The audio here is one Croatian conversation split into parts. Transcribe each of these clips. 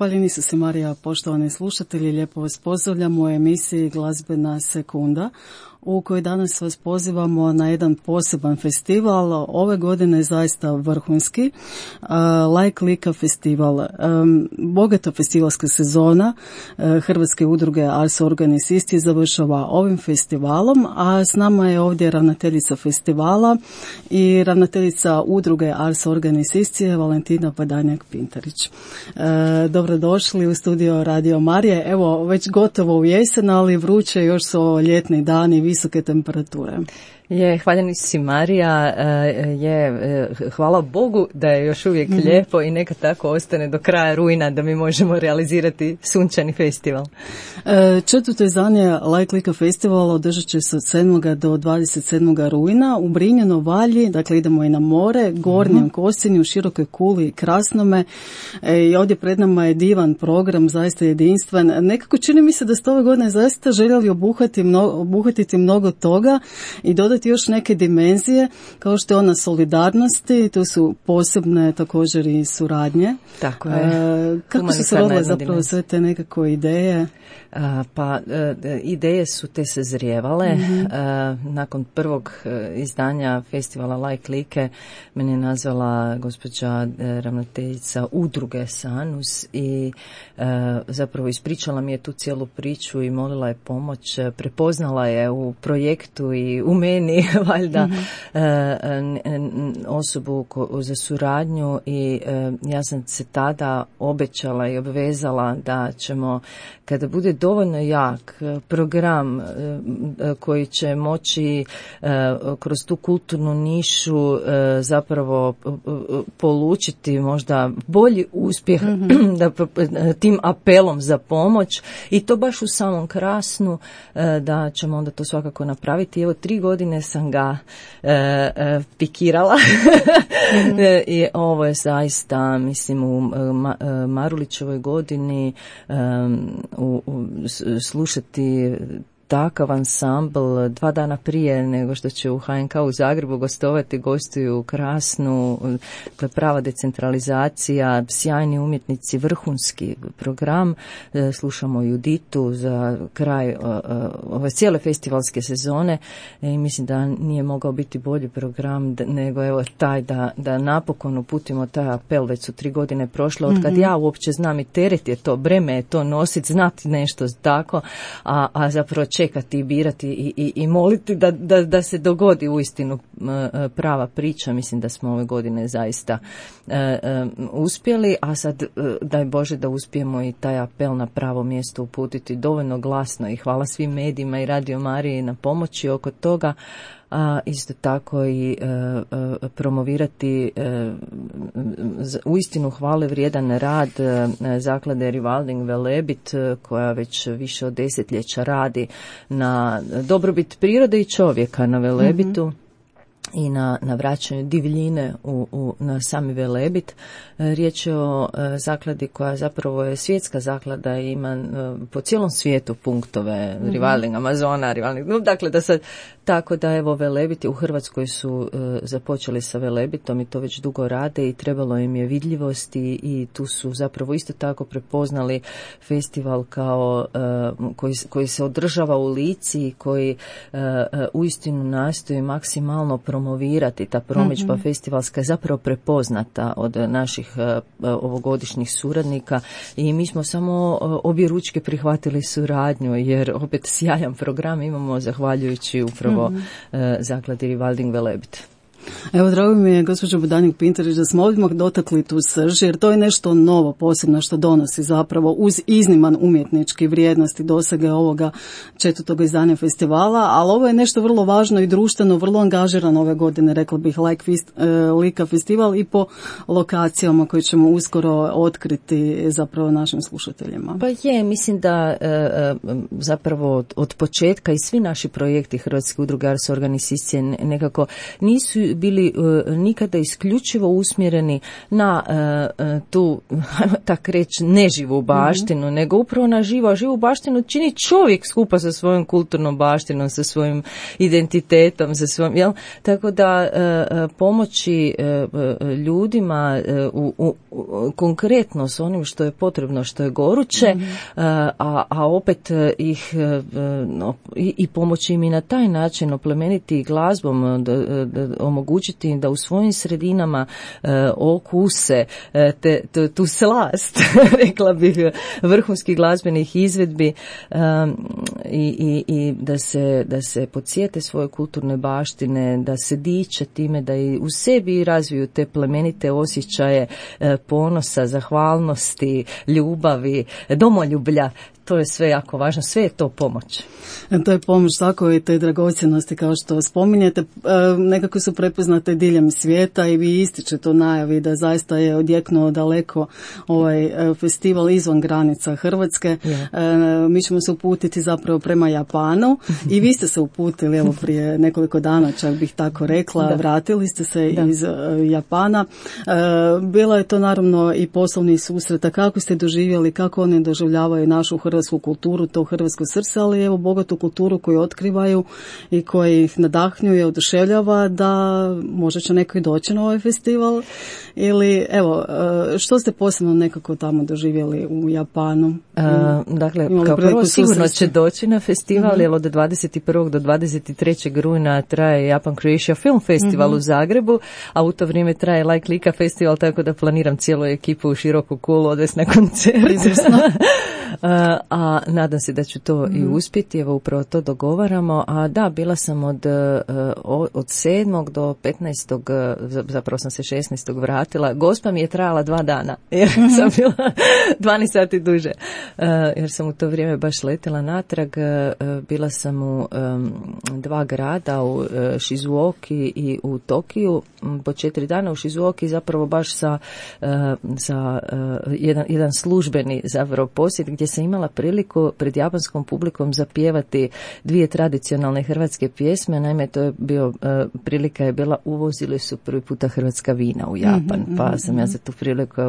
Hvaljeni su se Marija, poštovani slušatelji, lijepo vas pozdravljam u emisiji Glazbena sekunda, u kojoj danas vas pozivamo na jedan poseban festival. Ove godine je zaista vrhunski, Like Lika festival. Bogata festivalska sezona Hrvatske udruge Ars Organis Isti završava ovim festivalom, a s nama je ovdje ravnateljica festivala i ravnateljica udruge Ars Organis Isti Valentina Badanjak-Pintarić. Dobrodošli u studio Radio Marije. Evo, već gotovo u jesen, ali vruće, još su ovo ljetni dani, visoke temperature. Hvaljeni si Marija, hvala Bogu da je još uvijek lijepo i neka tako ostane do kraja rujna da mi možemo realizirati sunčani festival. Četvrto izdanje Like Lika festivala održat će se od 7. do 27. rujna u Brinjeno Valji, dakle idemo i na more, Gornjem Kosinju, Širokoj Kuli i Krasnome. I ovdje pred nama je divan program, zaista jedinstven. Nekako čini mi se da ste ove godine zaista željeli obuhvatiti mnogo toga i dodati još neke dimenzije, kao što je ona solidarnosti, tu su posebne također i suradnje. Tako je. Kako su se rodile zapravo sve te nekako ideje? Ideje su te sazrijevale. Nakon prvog izdanja festivala Like Like mene je nazvala gospođa ravnateljica udruge Sanus i zapravo ispričala mi je tu cijelu priču i molila je pomoć. Prepoznala je u projektu i u meni valjda osobu za suradnju i ja sam se tada obećala i obvezala da ćemo, kada bude dovoljno jak program koji će moći kroz tu kulturnu nišu zapravo polučiti možda bolji uspjeh tim apelom za pomoć i to baš u samom Krasnu, da ćemo onda to svakako napraviti. Evo 3 godine sam ga pikirala i ovo je zaista, mislim, u Marulićevoj godini slušati takav ansambl 2 dana prije nego što će u HNK u Zagrebu gostovati, gostuju u Krasnu, to je prava decentralizacija, sjajni umjetnici, vrhunski program. Slušamo Juditu za kraj ove cijele festivalske sezone i mislim da nije mogao biti bolji program nego evo taj da napokon uputimo taj apel. Već su 3 godine prošle od kad ja uopće znam i teret je to, breme je to nositi, znati nešto tako, a zapravo čekati i birati i moliti da se dogodi uistinu prava priča. Mislim da smo ove godine zaista uspjeli, a sad daj Bože da uspijemo i taj apel na pravo mjesto uputiti dovoljno glasno i hvala svim medijima i Radio Mariji na pomoći oko toga. A isto tako i promovirati uistinu hvale vrijedan rad zaklade Rewilding Velebit, koja već više od 10 radi na dobrobit prirode i čovjeka na Velebitu. I na vraćanju divljine na sami Velebit. Riječ je o zakladi koja zapravo je svjetska zaklada i ima po cijelom svijetu punktove Rewilding Amazona, Rewilding, dakle da sad, tako da evo Velebit u Hrvatskoj su započeli sa Velebitom i to već dugo rade i trebalo im je vidljivosti i tu su zapravo isto tako prepoznali festival kao koji se održava u Lici i koji uistinu nastoji maksimalno promovirati. Ta promidžba festivalska je zapravo prepoznata od naših ovogodišnjih suradnika i mi smo samo objeručke prihvatili suradnju jer opet sjajan program imamo zahvaljujući upravo zakladi Rewilding Velebit. Evo, drago mi je, gospođo Badanjak-Pintarić, da smo odmah dotakli tu srž, jer to je nešto novo, posebno što donosi zapravo uz izniman umjetnički vrijednosti dosege ovoga 4. izdanja festivala, ali ovo je nešto vrlo važno i društveno, vrlo angažirano ove godine, rekla bih, Lika festival i po lokacijama koje ćemo uskoro otkriti zapravo našim slušateljima. Pa mislim da zapravo od početka i svi naši projekti Hrvatske udruge Ars Organis Isti nekako nisu bili nikada isključivo usmjereni na tu, tak reći, neživu baštinu, nego upravo na živu baštinu čini čovjek skupa sa svojom kulturnom baštinom, sa svojim identitetom, sa svojim, tako da pomoći ljudima konkretno s onim što je potrebno, što je goruće, a opet ih i pomoći im i na taj način oplemeniti glazbom, omogućiti im da u svojim sredinama okuse tu slast, rekla bih, vrhunskih glazbenih izvedbi i da se podsjete svoje kulturne baštine, da se diče time, da i u sebi razviju te plemenite osjećaje ponosa, zahvalnosti, ljubavi, domoljublja. To je sve jako važno, sve je to pomoć. To je pomoć tako i te dragocjenosti kao što spominjete, nekako su prepoznate diljem svijeta i vi ističete u najavi da zaista je odjeknuo daleko ovaj festival izvan granica Hrvatske. Mi ćemo se uputiti zapravo prema Japanu i vi ste se uputili evo prije nekoliko dana, čak bih tako rekla, vratili ste se iz Japana. Bilo je to naravno i poslovni susreta, kako ste doživjeli, kako oni doživljavaju našu hrvatsku kulturu, to hrvatsko srce, ali evo bogatu kulturu koju otkrivaju i koji ih nadahnjuje, oduševljava da možda će neko i doći na ovaj festival ili evo, što ste posebno nekako tamo doživjeli u Japanu? Dakle, kao prvo sigurno će doći na festival, jer od 21. do 23. rujna traje Japan Croatia Film Festival u Zagrebu, a u to vrijeme traje Like Lika festival, tako da planiram cijelu ekipu u široku kulu odvesti na koncert. A nadam se da ću to i uspjeti, evo upravo to dogovaramo. A da, bila sam od 7. do 15. zapravo sam se 16. vratila. Gospa mi je trajala 2 dana, jer sam bila 12 sati duže, jer sam u to vrijeme baš letjela natrag. Bila sam u 2 grada, u Shizuoki i u Tokiju, po 4 dana u Shizuoki, zapravo baš sa jedan službeni zapravo posjet, gdje sam imala priliku pred japanskom publikom zapjevati 2 tradicionalne hrvatske pjesme. Naime, to je bio, prilika je bila, uvozili su prvi puta hrvatska vina u Japan, pa sam ja za tu priliku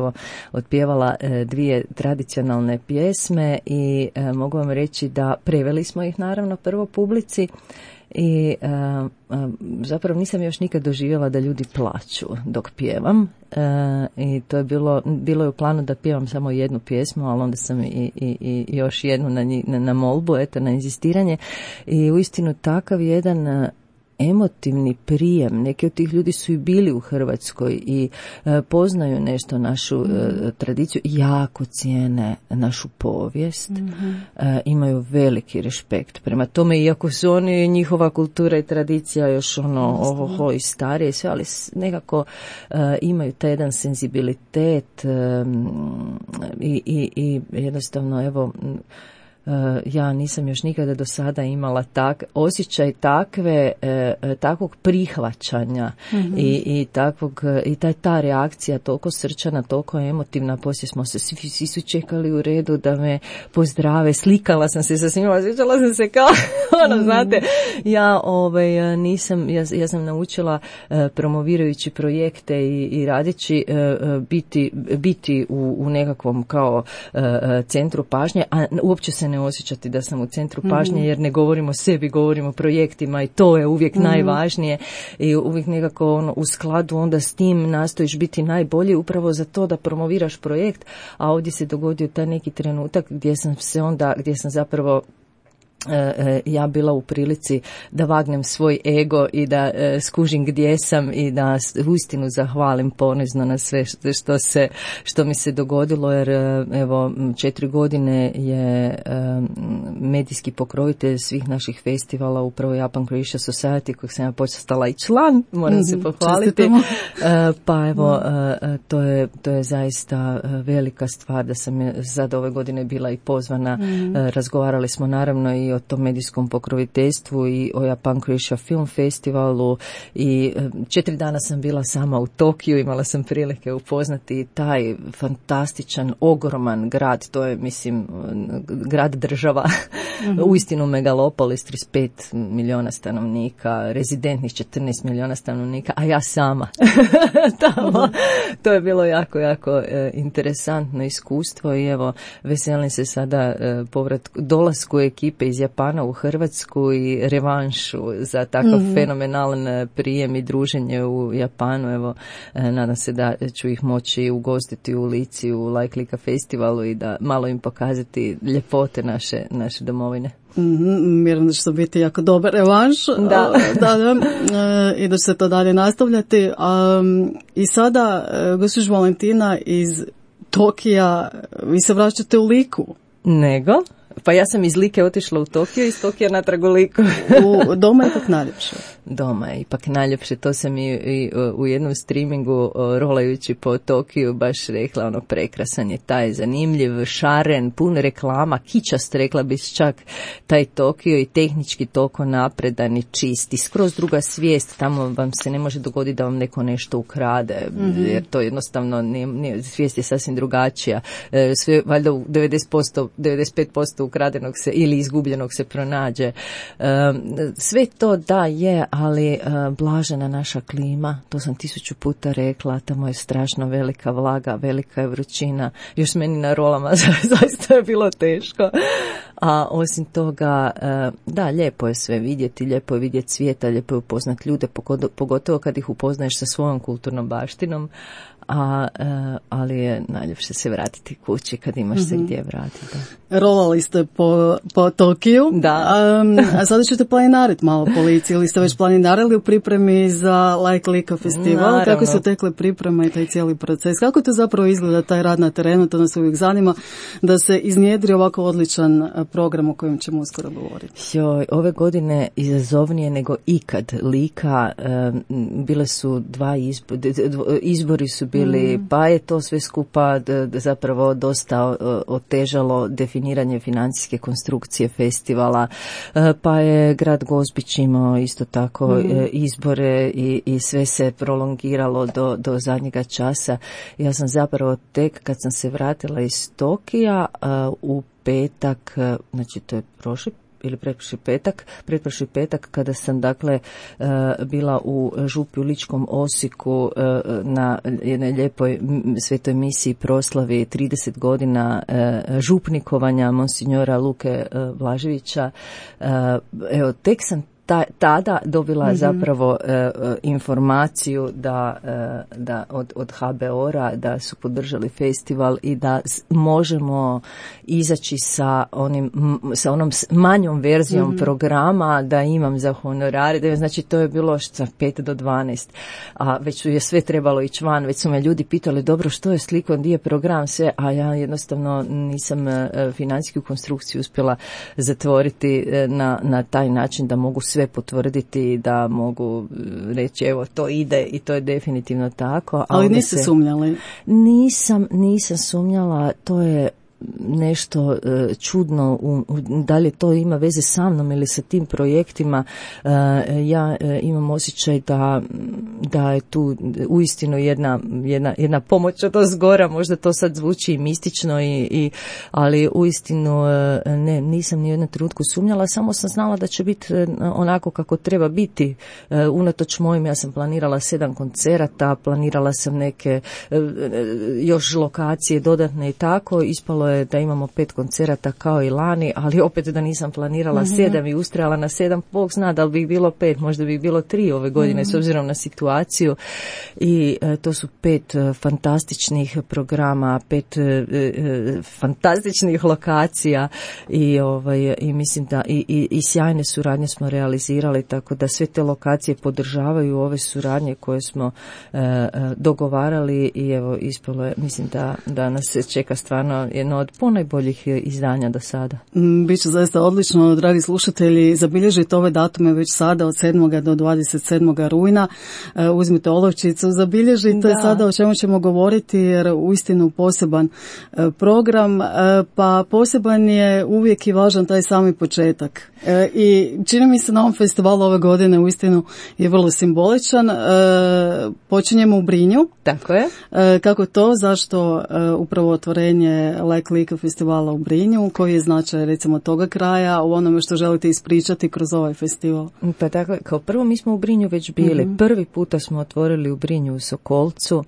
otpjevala 2 tradicionalne pjesme i mogu vam reći da preveli smo ih naravno prvo publici i zapravo nisam još nikad doživjela da ljudi plaču dok pjevam i to je bilo je u planu da pjevam samo jednu pjesmu, ali onda sam i još jednu na molbu, eto, na inzistiranje, i uistinu takav jedan emotivni prijem. Neki od tih ljudi su i bili u Hrvatskoj i poznaju nešto našu tradiciju, jako cijene našu povijest, imaju veliki respekt prema tome, iako su oni, njihova kultura i tradicija još i starije i sve, ali nekako imaju taj jedan senzibilitet i jednostavno, evo, ja nisam još nikada do sada imala osjećaj takvog prihvaćanja i ta reakcija toliko srčana, toliko emotivna. Poslije smo se svi su čekali u redu da me pozdrave, slikala sam se sa svima, osjećala sam se kao znate, ja sam naučila promovirajući projekte i radeći biti u nekakvom kao centru pažnje, a uopće se ne osjećati da sam u centru pažnje, jer ne govorimo o sebi, govorimo o projektima i to je uvijek najvažnije i uvijek nekako u skladu onda s tim nastojiš biti najbolji upravo za to da promoviraš projekt, a ovdje se dogodio taj neki trenutak gdje sam zapravo ja bila u prilici da vagnem svoj ego i da skužim gdje sam i da uistinu zahvalim ponizno na sve što mi se dogodilo, jer evo 4 godine je medijski pokrovitelj svih naših festivala upravo Japan Croatia Society, kojeg sam ja postala i član, moram se pohvaliti. Pa evo, to je zaista velika stvar da sam sad ove godine bila i pozvana. Razgovarali smo naravno i o tom medijskom pokroviteljstvu i o Japan Croatia Film Festivalu i 4 dana sam bila sama u Tokiju, imala sam prilike upoznati taj fantastičan, ogroman grad, to je, mislim, grad država, uistinu megalopolis, 35 milijuna stanovnika, rezidentnih 14 milijuna stanovnika, a ja sama tamo. To je bilo jako, jako interesantno iskustvo i evo, veselim se sada dolasku ekipe iz Japana u Hrvatsku i revanšu za takav fenomenalan prijem i druženje u Japanu. Evo, nadam se da ću ih moći ugostiti u Lici u Like Lika festivalu i da malo im pokazati ljepote naše domovine. Vjerujem da će to biti jako dobar revanš. Da. I da će se to dalje nastavljati. I sada, gospođo Valentina, iz Tokija, vi se vraćate u Liku. Nego? Pa ja sam iz Like otišla u Tokio, iz Tokija natrag u Liku. Doma je ipak najljepše. Doma je ipak najljepše, to sam i u jednom streamingu rolajući po Tokiju baš rekla, prekrasan je taj, zanimljiv, šaren, pun reklama, kičast, rekla bi čak taj Tokio i tehnički toliko napredan i čist i skroz druga svijest, tamo vam se ne može dogoditi da vam neko nešto ukrade, jer to jednostavno svijest je sasvim drugačija, sve valjda u 95% ukradenog se ili izgubljenog se pronađe. Sve to da je, ali blažena naša klima, to sam 1000 puta rekla, tamo je strašno velika vlaga, velika je vrućina, još meni na rolama zaista je bilo teško. A osim toga, da, lijepo je sve vidjeti, lijepo je vidjeti svijeta, lijepo je upoznati ljude, pogotovo kad ih upoznaješ sa svojom kulturnom baštinom, ali je najljepše se vratiti kući kad imaš se gdje vratiti. Da. Rolali ste po Tokiju, da. A sada ćete planinariti malo po Lici, ili ste već planinarili u pripremi za Like Lika festival? Naravno. Kako su tekle priprema i taj cijeli proces? Kako to zapravo izgleda taj rad na terenu? To nas uvijek zanima da se iznjedri ovako odličan program o kojem ćemo uskoro govoriti. Ove godine izazovnije nego ikad Lika, bile su izbori su bili, pa je to sve skupa zapravo dosta otežalo definiranje financijske konstrukcije festivala, pa je grad Gospić imao isto tako izbore i sve se prolongiralo do zadnjega časa. Ja sam zapravo tek kad sam se vratila iz Tokija u petak, znači to je pretprošli petak kada sam dakle bila u župi u Ličkom Osijeku na jednoj lijepoj svetoj misiji proslavi 30 godina župnikovanja monsinjora Luke Blaževića. Evo, tek sam tada dobila zapravo informaciju da od HBOR-a da su podržali festival i da možemo izaći sa onom manjom verzijom programa, da imam za honorare, znači to je bilo 5 do 12, a već je sve trebalo ići van, već su me ljudi pitali dobro što je slikom, gdje je program, sve, a ja jednostavno nisam financijsku konstrukciju uspjela zatvoriti na taj način da mogu sve potvrditi, da mogu reći evo to ide i to je definitivno tako. Ali niste sumnjali? Nisam sumnjala, to je nešto čudno, da li to ima veze sa mnom ili sa tim projektima. Ja imam osjećaj da je tu uistinu jedna pomoć od ozgora, možda to sad zvuči mistično, ali uistinu nisam ni u jednom trenutku sumnjala, samo sam znala da će biti onako kako treba biti. Unatoč mojim, ja sam planirala 7 koncerata, planirala sam neke još lokacije dodatne i tako, ispalo je da imamo 5 koncerata kao i lani, ali opet da nisam planirala 7 i ustrajala na 7, Bog zna da li bi bilo 5, možda bi bilo 3 ove godine s obzirom na situaciju. I to su 5 fantastičnih programa, 5 fantastičnih lokacija i mislim da i sjajne suradnje smo realizirali, tako da sve te lokacije podržavaju ove suradnje koje smo dogovarali i evo ispalo je, mislim da nas se čeka stvarno jedno od ponajboljih izdanja do sada. Biće zaista odlično, dragi slušatelji, zabilježite ove datume već sada od 7. do 27. rujna. Uzmite olovčicu, zabilježite sada o čemu ćemo govoriti, jer uistinu poseban program, pa poseban je uvijek i važan taj sami početak. I čini mi se na ovom festivalu ove godine uistinu je vrlo simboličan. Počinjemo u Brinju. Tako je. Kako to? Zašto upravo otvorenje Like Like festivala u Brinju. Koji je značaj recimo toga kraja u onome što želite ispričati kroz ovaj festival? Pa dakle, kao prvo mi smo u Brinju već bili. Prvi puta smo otvorili u Brinju u Sokolcu,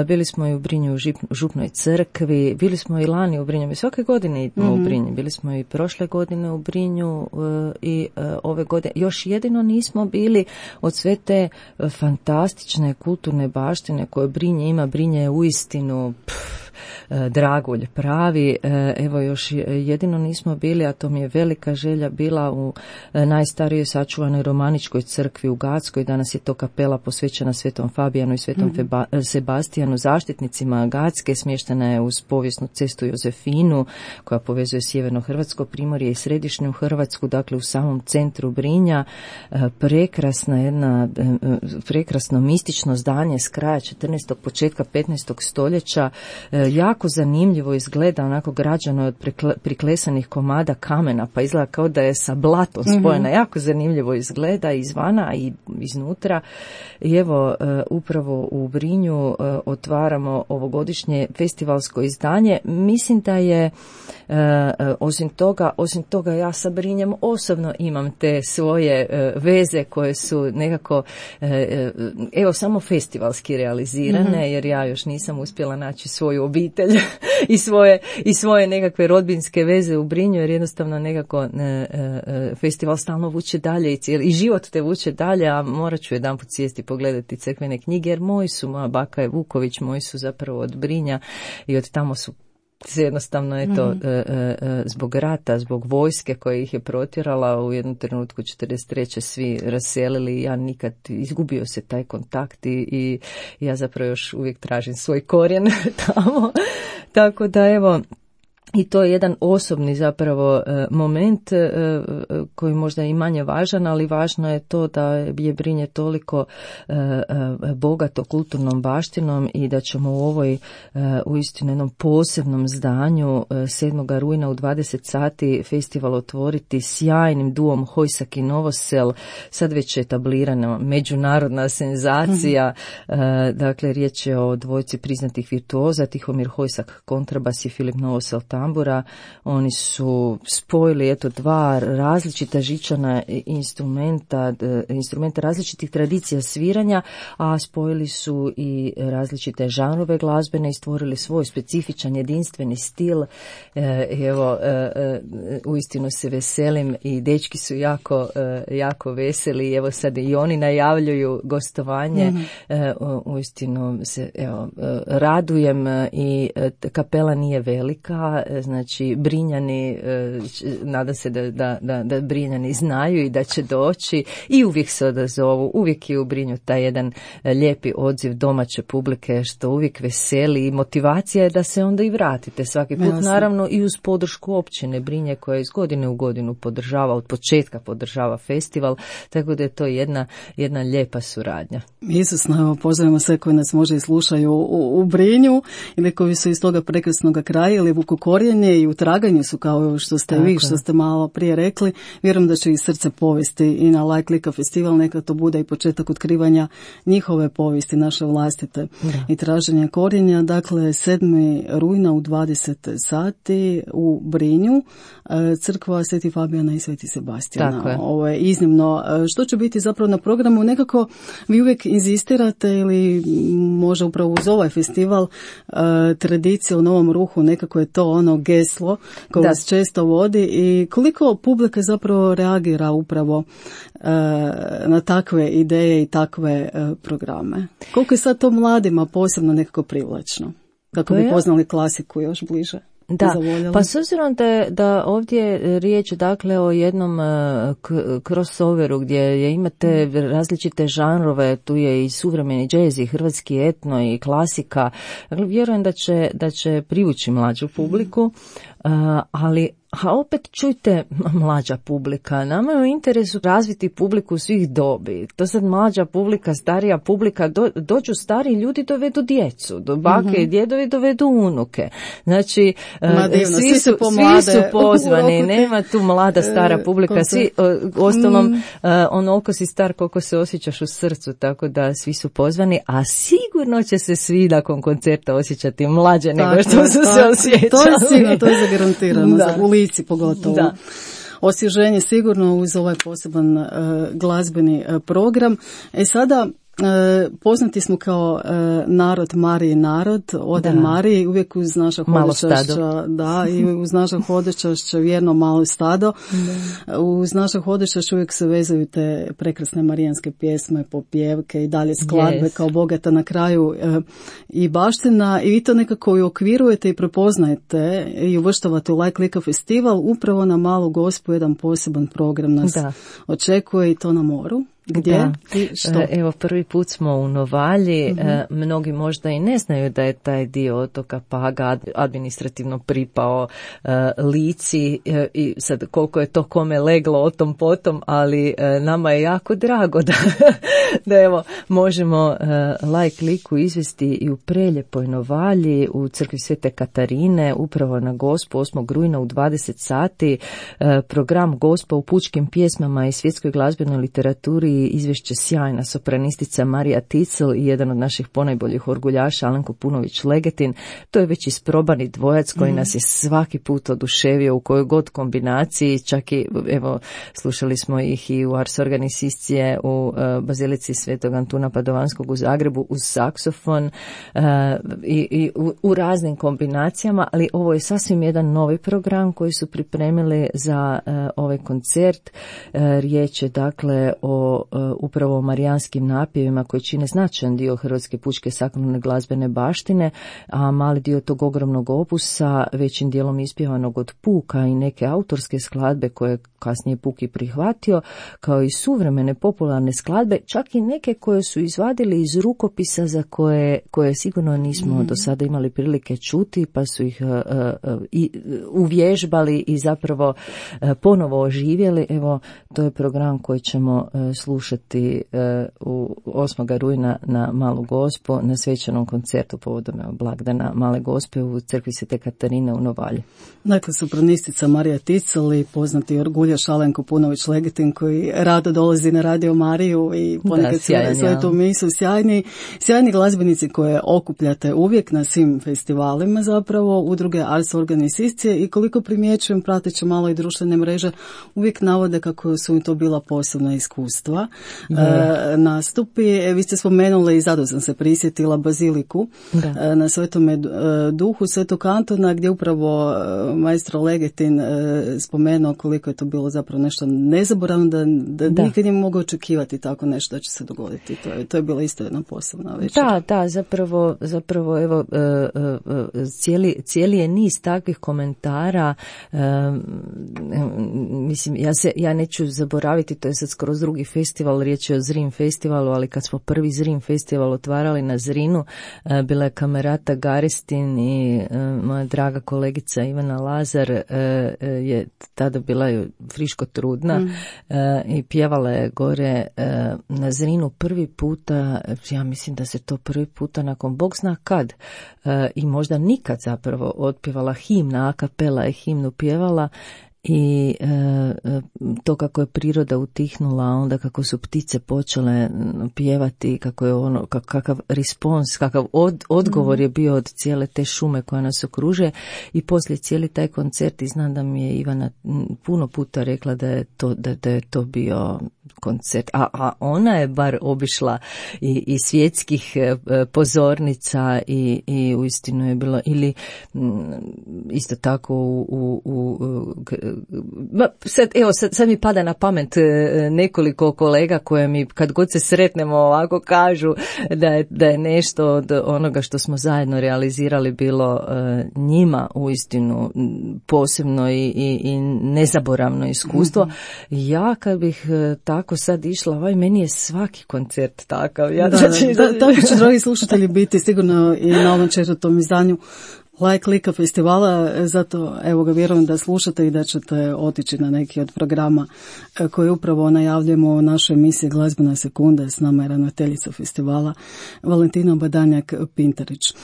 bili smo i u Brinju u Župnoj crkvi, bili smo i lani u Brinju. Mi svake godine idemo u Brinju. Bili smo i prošle godine u Brinju i ove godine. Još jedino nismo bili od sve te fantastične kulturne baštine koje Brinje ima. Brinje je uistinu dragulj pravi. Evo još jedino nismo bili, a to mi je velika želja bila u najstarijoj sačuvanoj romaničkoj crkvi u Gatskoj. Danas je to kapela posvećena Svetom Fabijanu i Svetom Sebastijanu, zaštitnicima Gatske. Smještena je uz povijesnu cestu Jozefinu koja povezuje sjeverno Hrvatsko primorje i središnju Hrvatsku, dakle u samom centru Brinja. Prekrasno mistično zdanje s kraja 14. početka 15. stoljeća. Jako zanimljivo izgleda, onako građano od priklesanih komada kamena, pa izgleda kao da je sa blatom spojena. Jako zanimljivo izgleda izvana i iznutra. I evo, upravo u Brinju otvaramo ovogodišnje festivalsko izdanje. Mislim da je osim toga ja sa Brinjem osobno imam te svoje veze koje su nekako evo samo festivalski realizirane, jer ja još nisam uspjela naći svoju obitelj i svoje nekakve rodbinske veze u Brinju, jer jednostavno nekako festival stalno vuče dalje i život te vuče dalje, a morat ću jedanput sjesti pogledati crkvene knjige, jer moja baka je Vuković, moji su zapravo od Brinja i od tamo su se jednostavno zbog rata, zbog vojske koja ih je protjerala u jednom trenutku 43. svi raselili i ja nikad izgubio se taj kontakt i ja zapravo još uvijek tražim svoj korijen tamo. Tako da evo, i to je jedan osobni zapravo moment koji možda i manje važan, ali važno je to da je Brinje toliko bogato kulturnom baštinom i da ćemo u ovoj uistinu jednom posebnom zdanju 7. rujna u 20 sati festival otvoriti sjajnim duom Hojsak i Novosel, sad već etablirana međunarodna senzacija. Dakle, riječ je o dvojci priznatih virtuoza, Tihomir Hojsak kontrabas i Filip Novosel tambura. Oni su spojili dva različita žičana instrumenta različitih tradicija sviranja, a spojili su i različite žanrove glazbene i stvorili svoj specifičan jedinstveni stil. Evo, uistinu se veselim i dečki su jako veseli. Evo sad i oni najavljuju gostovanje. Uistinu se radujem i kapela nije velika. Znači Brinjani, nadam se da Brinjani znaju i da će doći i uvijek se odazovu, uvijek je u Brinju taj jedan lijepi odziv domaće publike što uvijek veseli i motivacija je da se onda i vratite svaki put. Jasne. Naravno i uz podršku općine Brinje koja iz godine u godinu podržava, od početka podržava festival, tako da je to jedna lijepa suradnja. Izvrsno, pozdravimo sve koji nas možda i slušaju u Brinju ili koji su iz toga prekrasnog kraja ili vuku korijenje i u traganju su kao što ste vi, što ste malo prije rekli. Vjerujem da će i srce povesti i na Like festival, neka to bude i početak otkrivanja njihove povijesti, naše vlastite i traženja korijenja. Dakle, 7. rujna u 20 sati u Brinju, crkva Sveti Fabijana i Sveti Sebastijana. Ovo je iznimno. Što će biti zapravo na programu? Nekako vi uvijek inzistirate ili možda upravo uz ovaj festival tradicija u Novom Ruhu, nekako je to ono geslo koje vas često vodi i koliko publika zapravo reagira upravo na takve ideje i takve programe. Koliko je sad to mladima posebno nekako privlačno? Kako bi poznali klasiku još bliže? Da, pa s obzirom da ovdje je riječ dakle o jednom crossoveru gdje imate različite žanrove, tu je i suvremeni džez i hrvatski etno i klasika, dakle, vjerujem da će privući mlađu publiku. ali opet čujte, mlađa publika, nama je u interesu razviti publiku svih dobi. To sad mlađa publika, starija publika, dođu stari ljudi, dovedu djecu, do bake i djedovi dovedu unuke. Znači, svi su pozvani, nema tu mlada, stara publika, svi, ostalom, onoliko si star koliko se osjećaš u srcu, tako da svi su pozvani, a sigurno će se svi nakon koncerta osjećati mlađe nego što su se osjećali. To je sigurno, to je zagarantirano, u lici pogotovo. Da. Osvježenje sigurno uz ovaj poseban glazbeni program. Sada poznati smo kao narod Mariji narod, Ode Mariji, uvijek uz naša hodočašća, i uz naša hodočašća vjerno malo stado. Uz naša hodočašća uvijek se vezuju te prekrasne marijanske pjesme, popjevke i dalje skladbe kao bogata na kraju i baština, i vi to nekako i okvirujete i prepoznajete i uvrštavate u Like Lika festival. Upravo na Malu Gospu jedan poseban program nas očekuje, i to na moru. Gdje i što? Evo, prvi put smo u Novalji, mnogi možda i ne znaju da je taj dio otoka Paga administrativno pripao Lici, i sad koliko je to kome leglo o tom potom, ali nama je jako drago da evo možemo Like Liku izvesti i u prelijepoj Novalji u crkvi Svete Katarine, upravo na Gospu 8. rujna u 20 sati. Program Gospa u pučkim pjesmama i svjetskoj glazbenoj literaturi, izvješće sjajna sopranistica Marija Ticl i jedan od naših ponajboljih orguljaša Alenko Punović-Legetin. To je već isprobani dvojac koji nas je svaki put oduševio u kojoj god kombinaciji, čak i evo slušali smo ih i u Ars Organiciscije u Bazilici Svetog Antuna Padovanskog u Zagrebu uz saksofon i u raznim kombinacijama, ali ovo je sasvim jedan novi program koji su pripremili za ovaj koncert. Riječ je dakle o upravo marijanskim napjevima koji čine značajan dio hrvatske pučke sakralne glazbene baštine, a mali dio tog ogromnog opusa, većim dijelom ispjevanog od Puka i neke autorske skladbe koje kasnije Puk i prihvatio, kao i suvremene popularne skladbe, čak i neke koje su izvadili iz rukopisa za koje sigurno nismo do sada imali prilike čuti, pa su ih uvježbali i zapravo ponovo oživjeli. Evo, to je program koji ćemo slušati u 8. rujna na Malu Gospu na svečanom koncertu povodom blagdana Male Gospe u crkvi Svete Katarine u Novalji. Dakle, sopranistica Marija Ticl i poznati orguljaš Alenko Punović-Legetin koji rado dolazi na Radio Mariju i ponekad svetu misu. Sjajni glazbenici koje okupljate uvijek na svim festivalima zapravo, udruge Ars Organiciscije, i koliko primjećujem prateći malo i društvene mreže, uvijek navode kako su im to bila posebna iskustva. Nastupi. Vi ste spomenuli i zato sam se prisjetila Baziliku na Svetome Duhu Svetog Antona, gdje upravo maestro Legetin spomenuo koliko je to bilo zapravo nešto nezaboravno, da nikad nije mogao očekivati tako nešto da će se dogoditi. To je bila isto jedna posebna večer. Da, zapravo evo cijeli je niz takvih komentara. Mislim, ja neću zaboraviti, to je sad skroz drugi festival, riječ je o Zrin festivalu, ali kad smo prvi Zrin festival otvarali na Zrinu, bila je kamerata Garestin i moja draga kolegica Ivana Lazar je tada bila friško trudna i pjevala je gore na Zrinu prvi puta, ja mislim da se to prvi puta nakon Bog zna kad i možda nikad zapravo otpjevala himna, a kapela je himnu pjevala. I to kako je priroda utihnula, onda kako su ptice počele pjevati, kako je kakav respons, kakav odgovor je bio od cijele te šume koja nas okružuje, i poslije cijeli taj koncert, i znam da mi je Ivana puno puta rekla da je to bio koncert, a ona je bar obišla i svjetskih pozornica i uistinu je bilo, ili isto tako sad mi pada na pamet nekoliko kolega koje mi kad god se sretnemo ovako kažu da je nešto od onoga što smo zajedno realizirali bilo njima uistinu posebno i nezaboravno iskustvo. Ja kad bih tako sad išla, meni je svaki koncert takav. Tako će dragi slušatelji biti sigurno i na ovom 4. izdanju Like Lika festivala, zato evo ga vjerujem da slušate i da ćete otići na neki od programa koje upravo najavljujemo u našoj emisiji Glazbena sekunda. S nama je ravnateljica festivala Valentina Badanjak-Pintarić.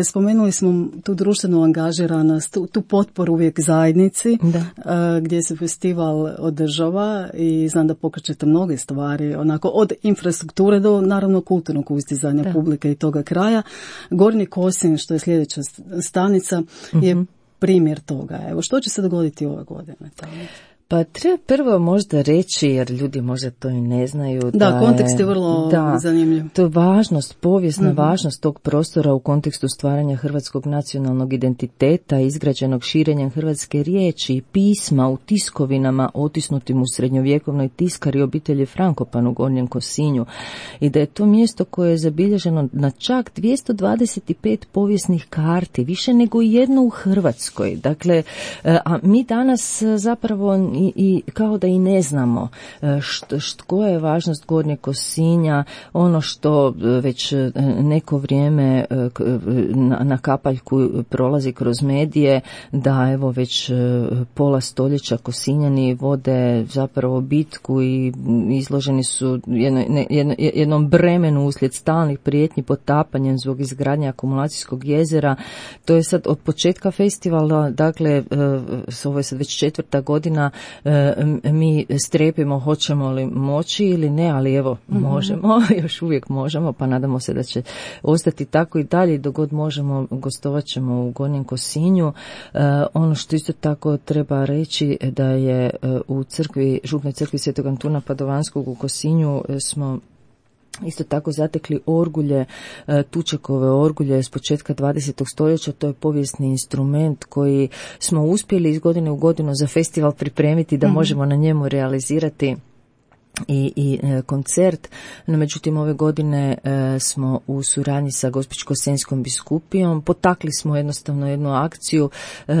Spomenuli smo tu društvenu angažiranost, tu potporu uvijek zajednici, gdje se festival održava i znam da pokrećete mnoge stvari, onako od infrastrukture do naravno kulturnog uzdizanja publike i toga kraja. Gornji Kosinj, što je sljedeća stanica, je primjer toga. Evo, što će se dogoditi ove godine tamo? Pa treba prvo možda reći, jer ljudi možda to i ne znaju. Da, kontekst je vrlo zanimljiv. To je važnost, povijesna važnost tog prostora u kontekstu stvaranja hrvatskog nacionalnog identiteta, izgrađenog širenjem hrvatske riječi i pisma u tiskovinama otisnutim u srednjovjekovnoj tiskari obitelji Frankopan u Gornjem Kosinju. I da je to mjesto koje je zabilježeno na čak 225 povijesnih karti, više nego jedno u Hrvatskoj. Dakle, a mi danas zapravo i kao da i ne znamo koja je važnost Gornjeg Kosinja, ono što već neko vrijeme na kapaljku prolazi kroz medije, da evo već pola stoljeća Kosinjani vode zapravo bitku i izloženi su jednom bremenu uslijed stalnih prijetnji potapanjem zbog izgradnje akumulacijskog jezera. To je sad od početka festivala, dakle ovo je sad već 4. godina, mi strepimo hoćemo li moći ili ne, ali evo možemo, još uvijek možemo, pa nadamo se da će ostati tako i dalje. Dok god možemo, gostovat ćemo u Gornjem Kosinju. Ono što isto tako treba reći da je u župnoj crkvi Svetog Antuna Padovanskog u Kosinju smo isto tako zatekli orgulje, Tučekove orgulje s početka 20. stoljeća. To je povijesni instrument koji smo uspjeli iz godine u godinu za festival pripremiti da možemo na njemu realizirati i koncert. No, međutim, ove godine smo u suradnji sa Gospićko-senjskom biskupijom potakli smo jednostavno jednu akciju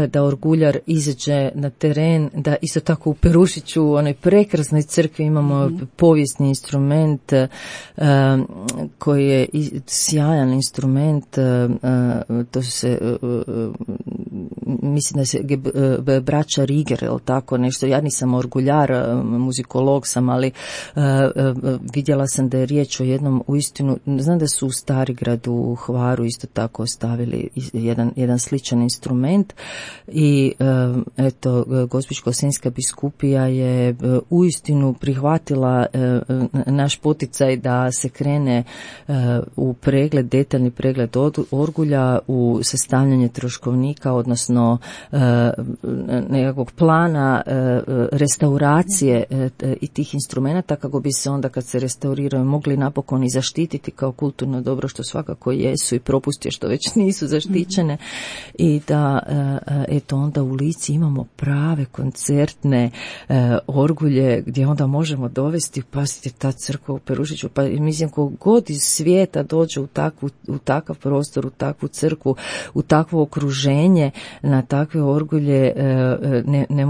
da orguljar izađe na teren, da isto tako u Perušiću, u onoj prekrasnoj crkvi imamo povijesni instrument koji je sjajan instrument. To se mislim da se braća Riger, ili tako nešto. Ja nisam orguljar, muzikolog sam, ali vidjela sam da je riječ o jednom uistinu, znam da su u Starigradu u Hvaru isto tako ostavili jedan sličan instrument i eto, Gospićko-senjska biskupija je uistinu prihvatila naš poticaj da se krene u pregled, detaljni pregled orgulja, u sastavljanje troškovnika, odnosno nekakvog plana restauracije i tih instrumenta, kako bi se onda kad se restauriraju mogli napokon i zaštititi kao kulturno dobro, što svakako jesu, i propustije što već nisu zaštićene, i da eto onda u Lici imamo prave koncertne orgulje gdje onda možemo dovesti, pasite, ta crkva u Perušiću, pa mislim kogod iz svijeta dođe u takav prostor, u takvu crkvu, u takvo okruženje, na takve orgulje, ne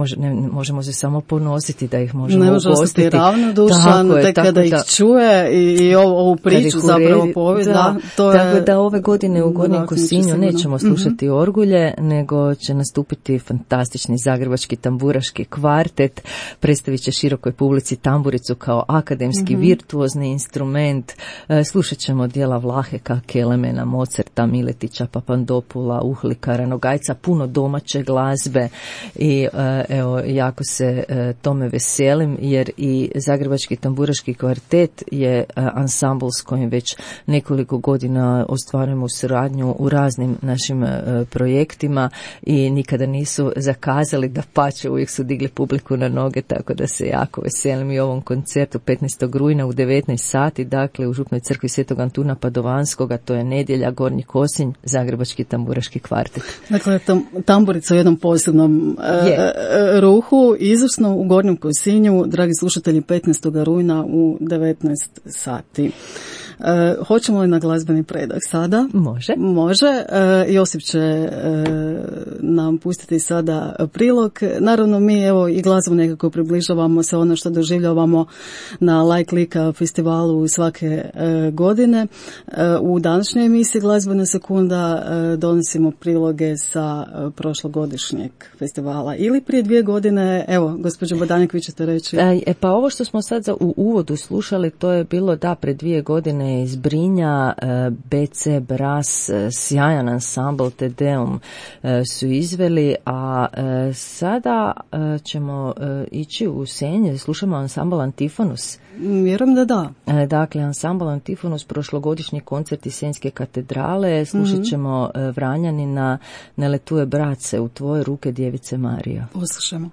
možemo se samo ponositi da ih možemo ugostiti. Dušan, tek kada ih čuje i ovu priču zapravo povijest. Tako da ove godine u Gornjem Kosinju nećemo slušati orgulje, nego će nastupiti fantastični zagrebački tamburaški kvartet, predstavit će širokoj publici tamburicu kao akademski virtuozni instrument, slušat ćemo dijela Vlaheka, Kelemena, Mozarta, Miletića, Papandopula, Uhlika, Ranogajca, puno domaće glazbe i evo, jako se tome veselim, jer i Zagrebački tamburaški kvartet je ansambl s kojim već nekoliko godina ostvarujemo suradnju u raznim našim projektima i nikada nisu zakazali, dapače, uvijek su digli publiku na noge, tako da se jako veselim i ovom koncertu 15. rujna u 19 sati, dakle u župnoj crkvi Svetog Antuna Padovanskoga, to je nedjelja, Gornji Kosinj, Zagrebački tamburaški kvartet. Dakle, tamburica u jednom posebnom ruhu, izvrsno u Gornjem Kosinju, dragi slušatelji, 15. rujna u 19 sati. Hoćemo li na glazbeni predah sada? Može. Josip će nam pustiti sada prilog. Naravno, mi evo i glazbu nekako približavamo se ono što doživljavamo na Like Lika festivalu svake godine. U današnjoj emisiji Glazbena sekunda donosimo priloge sa prošlogodišnjeg festivala. Ili prije 2 godine, evo, gospođo Bodanik, vi ćete reći. Pa ovo što smo sad u uvodu slušali, to je bilo pred 2 godine iz Brinja, BC Brass, sjajan ansambl Te Deum su izveli, a sada ćemo ići u Senj, slušamo ansambl Antifonus. Vjerujem da. Dakle, ansambl Antifonus, prošlogodišnji koncert iz Senjske katedrale, slušat ćemo Vranjanina Ne letuje brace u tvoje ruke djevice Marija. Poslušamo.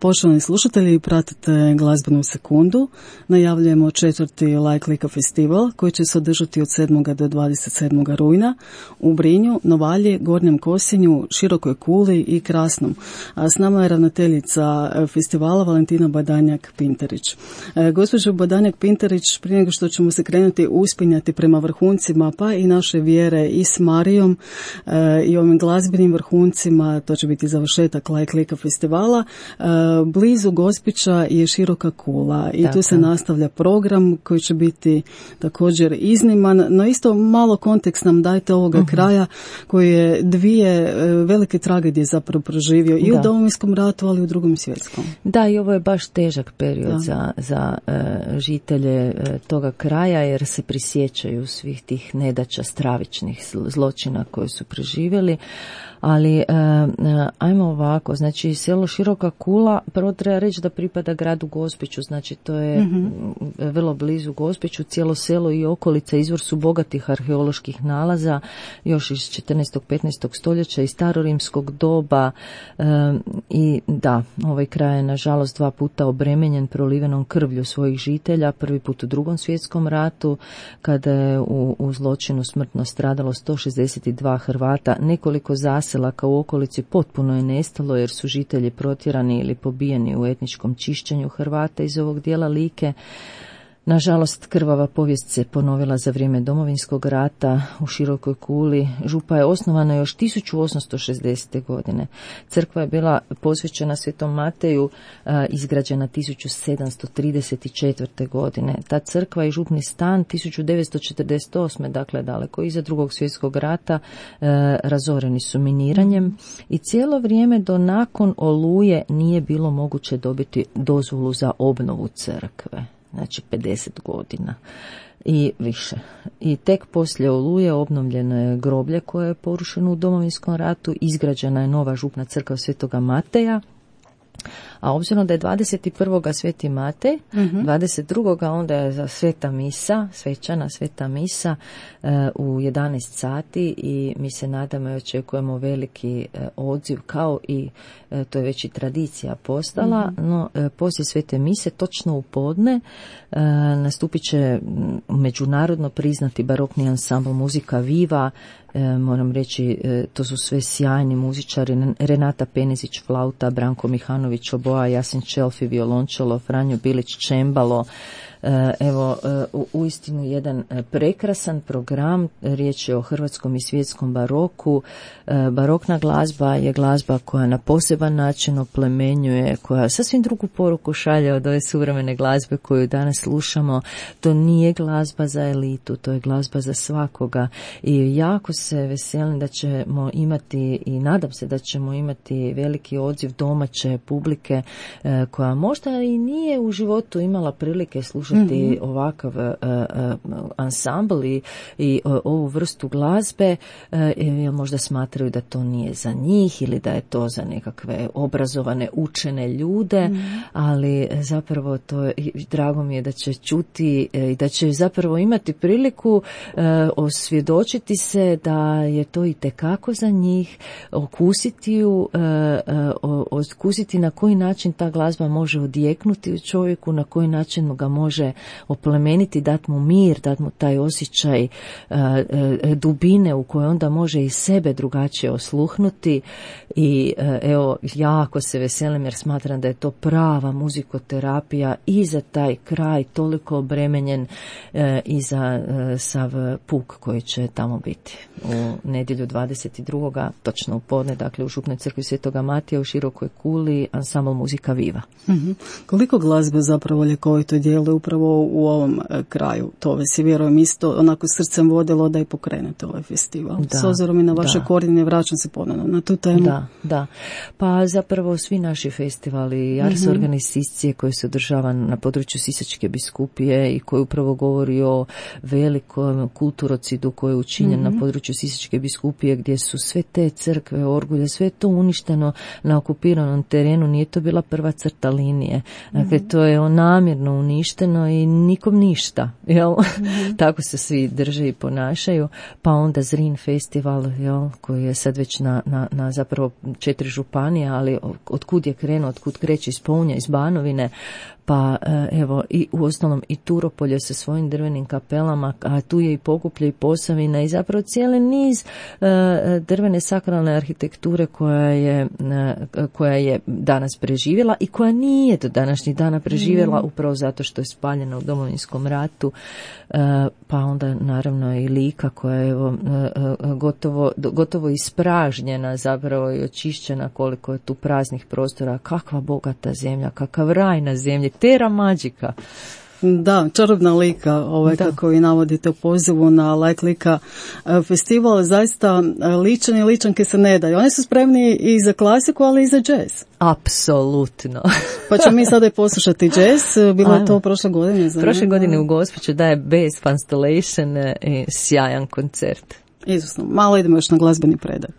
Poštovani slušatelji, pratite Glazbenu sekundu. Najavljujemo 4. Like Lika festival koji će se održati od 7. do 27. rujna u Brinju, Novalji, Gornjem Kosinju, Širokoj Kuli i Krasnom. A s nama je ravnateljica festivala Valentina Badanjak-Pinterić. Gospođo Badanjak-Pinterić, prije nego što ćemo se krenuti uspinjati prema vrhuncima, pa i naše vjere i s Marijom i ovim glazbenim vrhuncima, to će biti završetak Like Lika festivala, blizu Gospića je Široka Kula i tu se nastavlja program koji će biti također izniman, no isto malo kontekst nam dajte ovoga kraja koji je 2 velike tragedije zapravo proživio i u Domovinskom ratu, ali i u Drugom svjetskom. Da, i ovo je baš težak period za žitelje toga kraja, jer se prisjećaju svih tih nedaća, stravičnih zločina koje su preživjeli. Ali ajmo ovako, znači selo Široka Kula prvo treba reći da pripada gradu Gospiću, znači to je vrlo blizu Gospiću, cijelo selo i okolica izvor su bogatih arheoloških nalaza, još iz 14. 15. stoljeća i starorimskog doba i da, ovaj kraj je nažalost 2 puta obremenjen prolivenom krvlju svojih žitelja, prvi put u Drugom svjetskom ratu, kada je u zločinu smrtno stradalo 162 Hrvata, nekoliko zaselaka u okolici potpuno je nestalo jer su žitelji protjerani ili pobijeni u etničkom čišćenju Hrvata iz ovog dijela Like. Nažalost, krvava povijest se ponovila za vrijeme Domovinskog rata u Širokoj Kuli. Župa je osnovana još 1860. godine. Crkva je bila posvećena Svetom Mateju, izgrađena 1734. godine. Ta crkva i župni stan 1948. dakle daleko iza Drugog svjetskog rata, razoreni su miniranjem i cijelo vrijeme do nakon Oluje nije bilo moguće dobiti dozvolu za obnovu crkve. Znači 50 godina i više. I tek poslije Oluje obnovljeno je groblje koje je porušeno u Domovinskom ratu, izgrađena je nova župna crkva Svetoga Mateja, a obzirom da je 21. Sveti Matej, 22. onda je za sveta misa, svečana sveta misa u 11 sati i mi se nadamo i očekujemo veliki odziv, kao i to je već i tradicija postala, no poslije svete mise točno u podne nastupit će međunarodno priznati barokni ansambl Muzika Viva. Moram reći, to su sve sjajni muzičari, Renata Penezić flauta, Branko Mihanović oboa, Jasen Čelfi violončelo, Franjo Bilić čembalo. Evo, uistinu jedan prekrasan program, riječ je o hrvatskom i svjetskom baroku. Barokna glazba je glazba koja na poseban način oplemenjuje, koja sasvim drugu poruku šalje od ove suvremene glazbe koju danas slušamo. To nije glazba za elitu, to je glazba za svakoga i jako se veselim da ćemo imati i nadam se da ćemo imati veliki odziv domaće publike koja možda i nije u životu imala prilike slušati ovakav ansambl i ovu vrstu glazbe, jer možda smatraju da to nije za njih ili da je to za nekakve obrazovane učene ljude, ali zapravo to je, drago mi je da će čuti i da će zapravo imati priliku osvjedočiti se da je to itekako za njih, okusiti na koji način ta glazba može odjeknuti u čovjeku, na koji način ga može oplemeniti, dati mu mir, dati mu taj osjećaj dubine u kojoj onda može i sebe drugačije osluhnuti i evo, jako se veselim jer smatram da je to prava muzikoterapija i za taj kraj toliko obremenjen i za sav puk koji će tamo biti u nedjelju 22. točno u podne, dakle u župnoj crkvi Svetoga Matija u Širokoj Kuli, ansambl Muzika Viva. Koliko glazbe zapravo ljekovito djeluje upravo u ovom kraju? To vas je, vjerujem, isto onako srcem vodilo da i pokrenete ovaj festival. S obzirom i na vaše korijene, vraćam se ponovno na tu temu. Da. Pa zapravo svi naši festivali, Ars Organizacije koje se održava na području Sisačke biskupije i koji upravo govori o velikom kulturocidu koji je učinjen na području Sisačke biskupije, gdje su sve te crkve, orgulje, sve to uništeno na okupiranom terenu, nije to bila prva crta linije. Dakle, to je namjerno uništeno i nikom ništa. Jel? Tako se svi drže i ponašaju. Pa onda Zrin festival, jel, koji je sad već na zapravo 4 županije, ali otkud je krenuo, otkud kreće iz Pounja, iz Banovine, pa evo i u ostalom i Turopolje sa svojim drvenim kapelama, a tu je i Pokuplje i Posavina i zapravo cijeli niz drvene sakralne arhitekture koja je danas preživjela i koja nije do današnjih dana preživjela upravo zato što je spaljena u Domovinskom ratu, pa onda naravno i Lika koja je gotovo ispražnjena zapravo i očišćena, koliko je tu praznih prostora, kakva bogata zemlja, kakav raj na zemlji, Terra Magica. Da, čarobna Lika, kako i navodite u pozivu na Light Lika festival, zaista ličani i ličanke se ne daju. Oni su spremni i za klasiku, ali i za jazz. Apsolutno. Pa ćemo mi sada i poslušati jazz. Bilo je to prošle godine. Prošle godine u Gospiću daje Bass Constellation i sjajan koncert. Izvrsno. Malo idemo još na glazbeni predah.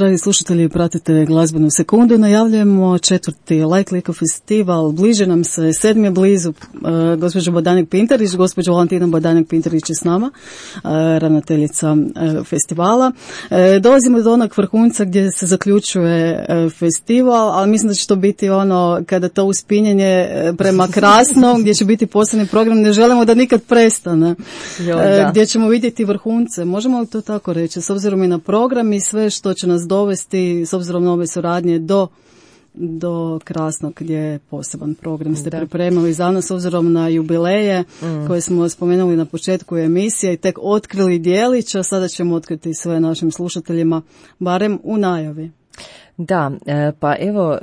dragi slušatelji, pratite Glazbenu sekundu. Najavljujemo 4. Like Liko festival. Bliže nam se, 7. je blizu. Gospođo Bodanik-Pintarić, gospođa Valentina Bodanik-Pintarić je s nama, ravnateljica festivala. Dolazimo do onog vrhunca gdje se zaključuje festival, ali mislim da će to biti ono kada to uspinjenje prema krasnom, gdje će biti posebni program. Ne želimo da nikad prestane. Gdje ćemo vidjeti vrhunce. Možemo li to tako reći? S obzirom i na program i sve što će nas dovesti, s obzirom na ove suradnje do Krasnog, gdje je poseban program ste pripremili za nas, s obzirom na jubileje koje smo spomenuli na početku emisije i tek otkrili dijelić, a sada ćemo otkriti sve našim slušateljima, barem u najavi. Da, pa evo,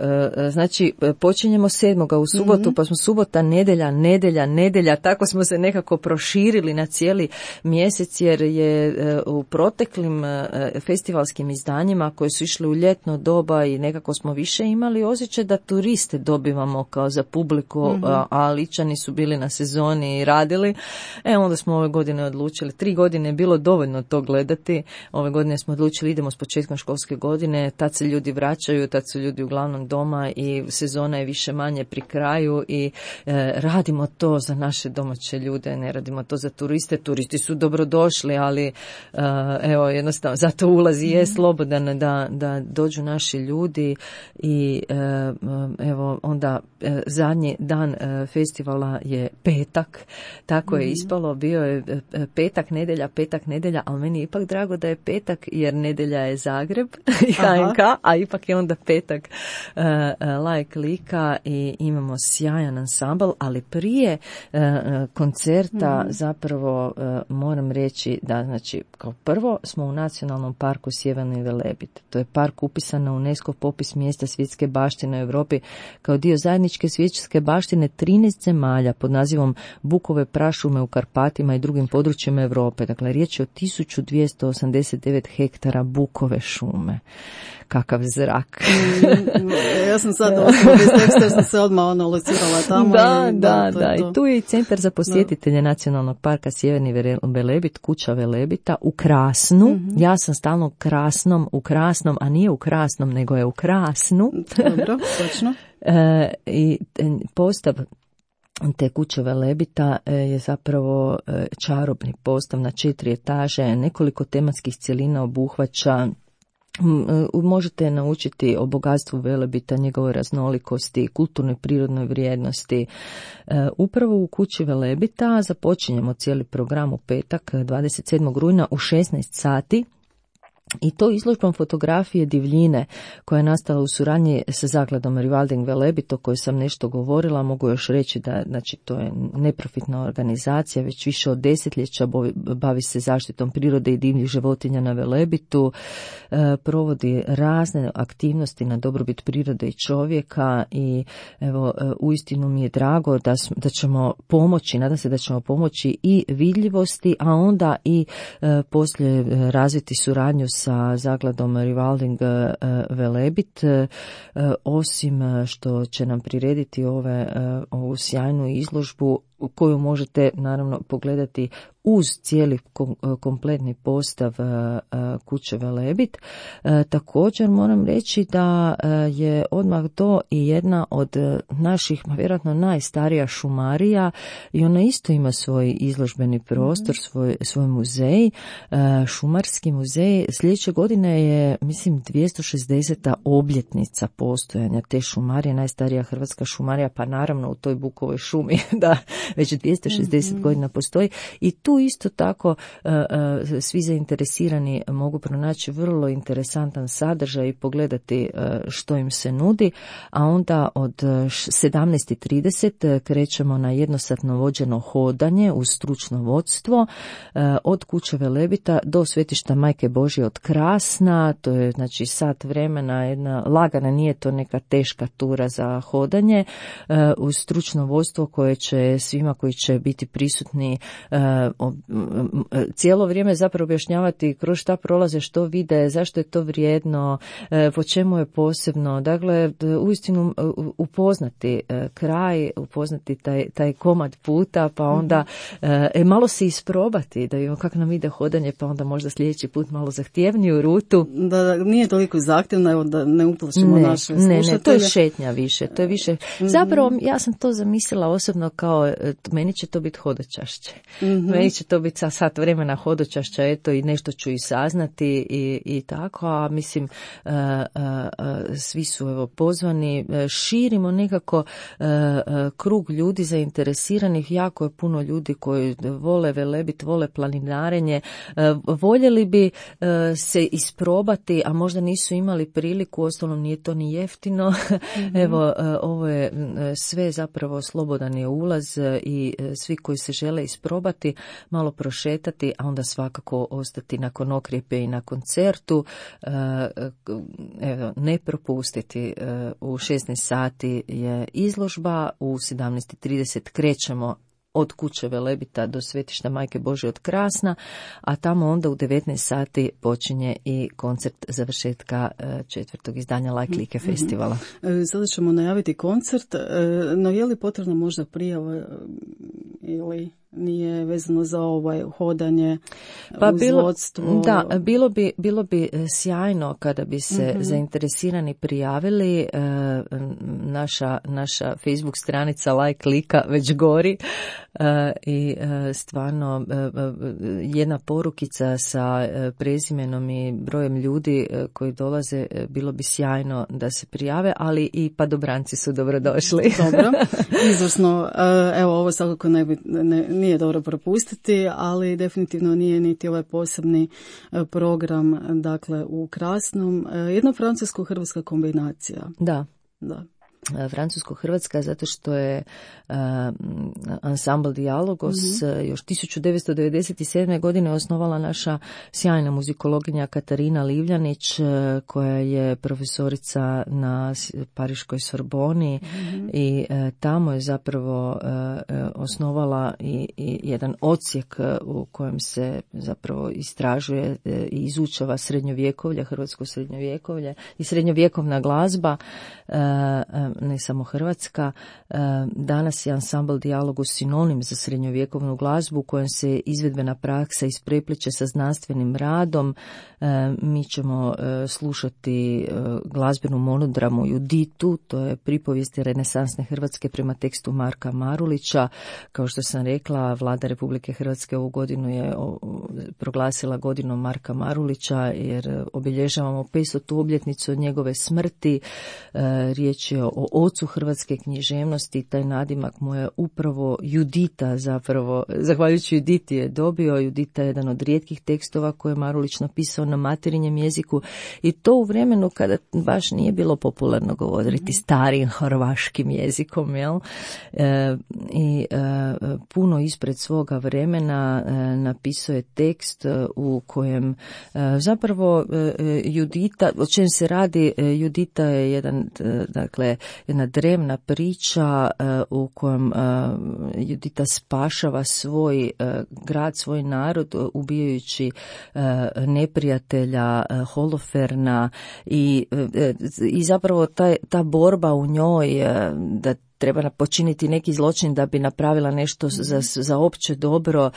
znači počinjemo 7. u subotu, pa smo subota, nedjelja, tako smo se nekako proširili na cijeli mjesec, jer je u proteklim festivalskim izdanjima koje su išle u ljetno doba i nekako smo više imali osjećaj da turiste dobivamo kao za publiku, a Ličani su bili na sezoni i radili. Onda smo ove godine odlučili, 3 godine je bilo dovoljno to gledati, ove godine smo odlučili idemo s početkom školske godine, tad se ljudi vraćaju, tad su ljudi uglavnom doma i sezona je više manje pri kraju i radimo to za naše domaće ljude, ne radimo to za turiste. Turisti su dobrodošli, ali evo jednostavno zato ulazi je slobodan da dođu naši ljudi i evo onda zadnji dan festivala je petak, tako je ispalo, bio je petak, nedjelja, ali meni je ipak drago da je petak jer nedjelja je Zagreb i HNK, a ipak je onda petak Like Lika i imamo sjajan ansambl, ali prije koncerta zapravo moram reći da, znači, kao prvo smo u Nacionalnom parku Sjeverni Velebit. To je park upisan na UNESCO popis mjesta svjetske baštine u Europi kao dio zajedničke svjetske baštine 13 zemalja pod nazivom Bukove prašume u Karpatima i drugim područjima Europe. Dakle, riječ je o 1289 hektara bukove šume. Kakav zrak. Ja sam sad ostala bez teksta jer sam se odmah locirala tamo. Da. I tu je i centar za posjetitelje Nacionalnog parka Sjeverni Velebit, kuća Velebita u Krasnu. Ja sam stalno u Krasnom, a nije u Krasnom, nego je u Krasnu. Dobro, točno. I postav te kuće Velebita je zapravo čarobni postav na 4 etaže, nekoliko tematskih cjelina obuhvaća. Možete naučiti o bogatstvu Velebita, njegovoj raznolikosti, kulturnoj prirodnoj vrijednosti. Upravo u kući Velebita započinjemo cijeli program u petak 27. rujna u 16 sati. I to izložbom fotografije divljine koja je nastala u suradnji sa zakladom Rewilding Velebit, o kojoj sam nešto govorila. Mogu još reći da, znači, to je neprofitna organizacija, već više od desetljeća bavi se zaštitom prirode i divljih životinja na Velebitu, provodi razne aktivnosti na dobrobit prirode i čovjeka i evo, uistinu mi je drago da ćemo pomoći, nadam se da ćemo pomoći i vidljivosti, a onda i poslije razviti suradnju sa zakladom Rewilding Velebit, osim što će nam prirediti ovu sjajnu izložbu koju možete naravno pogledati uz cijeli kompletni postav kuće Velebit. Također moram reći da je odmah to i jedna od naših, vjerojatno najstarija šumarija i ona isto ima svoj izložbeni prostor, svoj muzej, šumarski muzej. Sljedeće godine je, mislim, 260. obljetnica postojanja te šumarije, najstarija hrvatska šumarija, pa naravno u toj Bukovoj šumi, da, već 260 godina postoji i tu isto tako svi zainteresirani mogu pronaći vrlo interesantan sadržaj i pogledati što im se nudi, a onda od 17:30 krećemo na jednosatno vođeno hodanje uz stručno vodstvo od kuće Velebita do svetišta Majke Božje od Krasna. To je, znači, sat vremena, jedna lagana, nije to neka teška tura za hodanje uz stručno vodstvo koje će svima svima koji će biti prisutni, cijelo vrijeme zapravo objašnjavati kroz šta prolaze, što vide, zašto je to vrijedno, po čemu je posebno. Dakle, uistinu upoznati kraj, upoznati taj komad puta, pa onda malo se isprobati, da vidimo kako nam ide hodanje, pa onda možda sljedeći put malo zahtjevniju rutu. Da nije toliko zahtjevna, evo da ne uplašimo naše slušatelje. Ne, to je šetnja više, to je više. Zapravo, ja sam to zamislila osobno kao, meni će to biti hodočašće. Meni će to biti sat vremena hodočašća, eto, i nešto ću i saznati i tako, a mislim, svi su evo pozvani, širimo nekako krug ljudi zainteresiranih, jako je puno ljudi koji vole Velebit, vole planinarenje, voljeli bi se isprobati, a možda nisu imali priliku, uostalom nije to ni jeftino. Evo, ovo je sve zapravo slobodan je ulaz i svi koji se žele isprobati, malo prošetati, a onda svakako ostati nakon okrijepe i na koncertu. Evo, ne propustiti. U 16 sati je izložba, u 17:30 krećemo od kuće Velebita do Svetišta Majke Božje od Krasna, a tamo onda u 19 sati počinje i koncert završetka 4. izdanja Like Like festivala. Sada ćemo najaviti koncert, no je li potrebna možda prijava ili nije vezano za hodanje uz vodstvo? Da, bilo bi sjajno kada bi se zainteresirani prijavili. Naša Facebook stranica Like Lika već gori i stvarno jedna porukica sa prezimenom i brojem ljudi koji dolaze, bilo bi sjajno da se prijave, ali i padobranci su dobrodošli. Dobro, izvrsno. Evo, ovo svakako nije dobro propustiti, ali definitivno nije niti ovaj posebni program, dakle, u Krasnom. Jedna francusko-hrvatska kombinacija. Da. Francusko-hrvatska zato što je ansambl Dijalogos još 1997. godine osnovala naša sjajna muzikologinja Katarina Livljanić, koja je profesorica na Pariškoj Sorboni i tamo je zapravo osnovala i jedan odsjek u kojem se zapravo istražuje i izučava srednjovjekovlje, hrvatsko srednjovjekovlje i srednjovjekovna glazba, ne samo hrvatska. Danas je ansambl Dijalogos sinonim za srednjovjekovnu glazbu u kojem se izvedbena praksa isprepliče sa znanstvenim radom. Mi ćemo slušati glazbenu monodramu Juditu, to je pripovijesti renesansne Hrvatske prema tekstu Marka Marulića. Kao što sam rekla, Vlada Republike Hrvatske ovu godinu je proglasila godinom Marka Marulića jer obilježavamo 500. obljetnicu od njegove smrti. Riječ je o ocu hrvatske književnosti, taj nadimak mu je upravo Judita, zapravo, zahvaljujući Juditi je dobio. Judita je jedan od rijetkih tekstova koje je Marulić napisao na materinjem jeziku i to u vremenu kada baš nije bilo popularno govoriti starim hrvaškim jezikom, jel? Puno ispred svoga vremena napisao je tekst u kojem zapravo Judita, o čem se radi, Judita je jedna drevna priča u kojem Judita spašava svoj grad, svoj narod, ubijajući neprijatelja Holoferna i zapravo ta borba u njoj da treba počiniti neki zločin da bi napravila nešto za opće dobro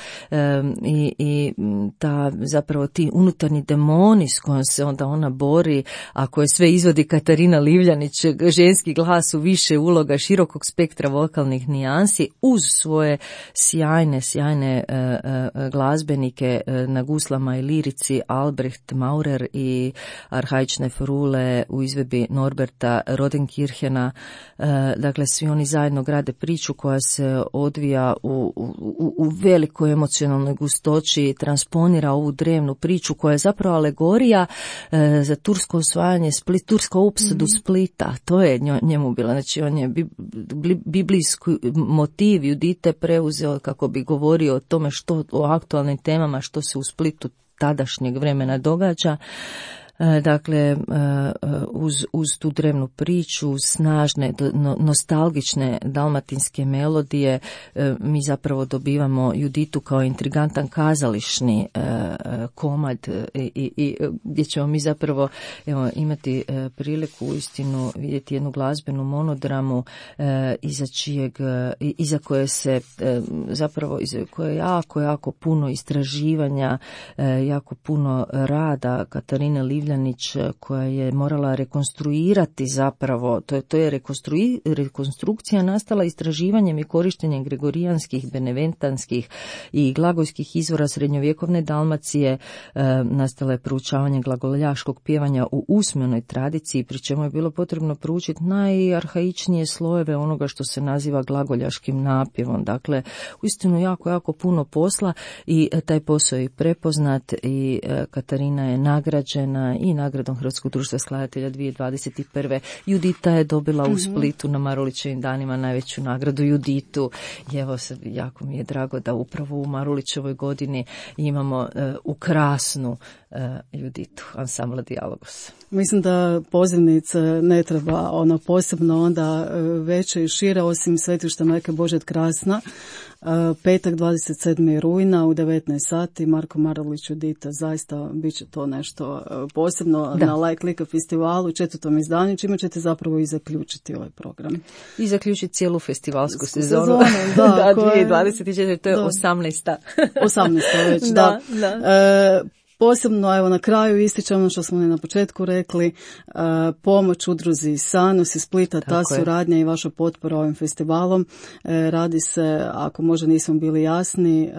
i ta zapravo ti unutarnji demoni s kojom se onda ona bori, a koje sve izvodi Katarina Livljanić, ženski glas u više uloga, širokog spektra vokalnih nijansi, uz svoje sjajne glazbenike na guslama i lirici Albrecht Maurer i arhaične forule u izvedbi Norberta Rodenkirchena. Dakle, svi oni zajedno grade priču koja se odvija u velikoj emocionalnoj gustoći, transponira ovu drevnu priču koja je zapravo alegorija za tursko osvajanje tursku opsadu Splita. To je njemu bilo. Znači, on je biblijski motiv Judite preuzeo kako bi govorio o tome o aktualnim temama što se u Splitu tadašnjeg vremena događa. Dakle, uz tu drevnu priču, snažne, nostalgične dalmatinske melodije, mi zapravo dobivamo Juditu kao intrigantan kazališni komad i gdje ćemo mi zapravo imati priliku uistinu vidjeti jednu glazbenu monodramu iza koje se zapravo koje je jako puno istraživanja, jako puno rada Katarine Livljanić, koja je morala rekonstruirati zapravo, to je rekonstrukcija nastala istraživanjem i korištenjem gregorijanskih, beneventanskih i glagojskih izvora srednjovjekovne Dalmacije. Nastala je proučavanje glagoljaškog pjevanja u usmenoj tradiciji, pri čemu je bilo potrebno proučiti najarhaičnije slojeve onoga što se naziva glagoljaškim napjevom. Dakle, uistinu jako puno posla i taj posao je prepoznat i Katarina je nagrađena i nagradom Hrvatskog društva skladatelja 2021. Judita je dobila u Splitu na Marulićevim danima najveću nagradu Juditu i evo jako mi je drago da upravo u Marulićevoj godini imamo ukrasnu Juditu, ansambla Dijalogos. Mislim da pozivnice ne treba posebno onda veće i šire, osim Svetišta Majke Božje Krasna. Petak 27. rujna u 19 sati, Marko Marulić Judita, zaista bit će to nešto posebno na Like Lika festivalu, 4. izdanju, čime ćete zapravo i zaključiti ovaj program. I zaključiti cijelu festivalsku sezonu. Da, 2024. To je 18. 18. već, da. Posebno, evo na kraju ističem ono što smo na početku rekli, pomoć udruzi Sanos iz Splita, ta suradnja i vaša potpora ovim festivalom. Radi se, ako možda nismo bili jasni,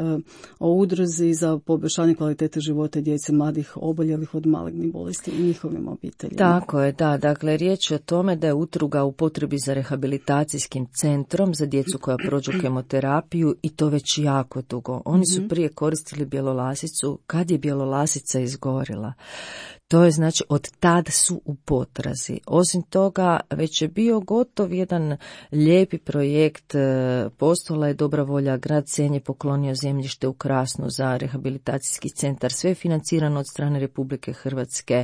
o udruzi za poboljšanje kvalitete života djece mladih oboljelih od malignih bolesti i njihovim obiteljima. Tako je, da. Dakle, riječ je o tome da je udruga u potrebi za rehabilitacijskim centrom za djecu koja prođu kemoterapiju i to već jako dugo. Oni su prije koristili bjelolasicu. Kad je bjelolasica izgorila, to je znači od tad su u potrazi. Osim toga, već je bio gotov jedan lijepi projekt, postojala je dobra volja, grad Senj je poklonio zemljište u Krasnu za rehabilitacijski centar, sve je financirano od strane Republike Hrvatske,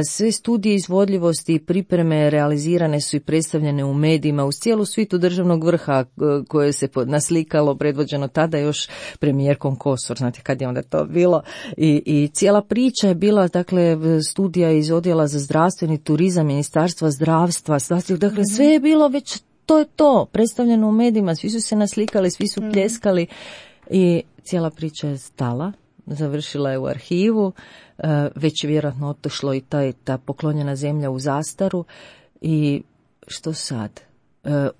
sve studije izvodljivosti i pripreme realizirane su i predstavljene u medijima uz cijelu svitu državnog vrha koje se naslikalo, predvođeno tada još premijerkom Kosor, znate kad je onda to bilo, i cijela priča je bila, dakle, studija iz odjela za zdravstveni turizam, Ministarstva zdravstva, dakle sve je bilo već, to je to, predstavljeno u medijima, svi su se naslikali, svi su pljeskali i cijela priča je stala, završila je u arhivu, već je vjerojatno otišlo i ta poklonjena zemlja u zastaru i što sad?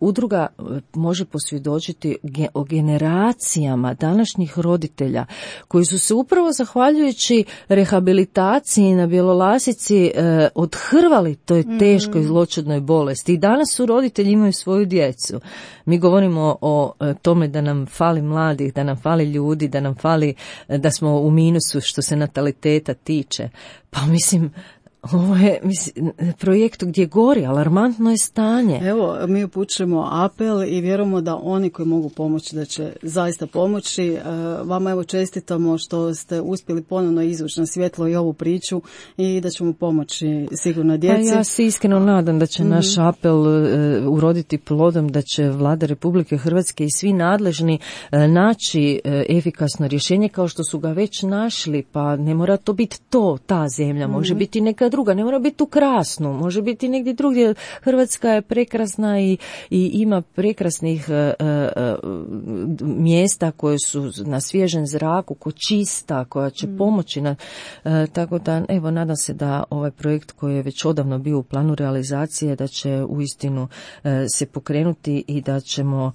Udruga može posvjedočiti o generacijama današnjih roditelja koji su se upravo zahvaljujući rehabilitaciji na bjelolasici odhrvali toj teškoj zloćudnoj bolesti i danas su roditelji, imaju svoju djecu. Mi govorimo o tome da nam fali mladih, da nam fali ljudi, da nam fali, da smo u minusu što se nataliteta tiče. Pa mislim, ovo je projekt gdje gori, alarmantno je stanje. Evo, mi upućujemo apel i vjerujemo da oni koji mogu pomoći da će zaista pomoći. Vama evo čestitamo što ste uspjeli ponovno izvući na svjetlo i ovu priču i da ćemo pomoći sigurno djeci. Pa ja se iskreno nadam da će naš apel uroditi plodom, da će Vlada Republike Hrvatske i svi nadležni naći efikasno rješenje kao što su ga već našli, pa ne mora to biti ta zemlja, može biti neka druga, ne mora biti u Krasnu, može biti negdje drugdje. Hrvatska je prekrasna i ima prekrasnih mjesta koje su na svježem zraku, čista, koja će pomoći. Tako da, evo, nadam se da ovaj projekt koji je već odavno bio u planu realizacije, da će uistinu se pokrenuti i da ćemo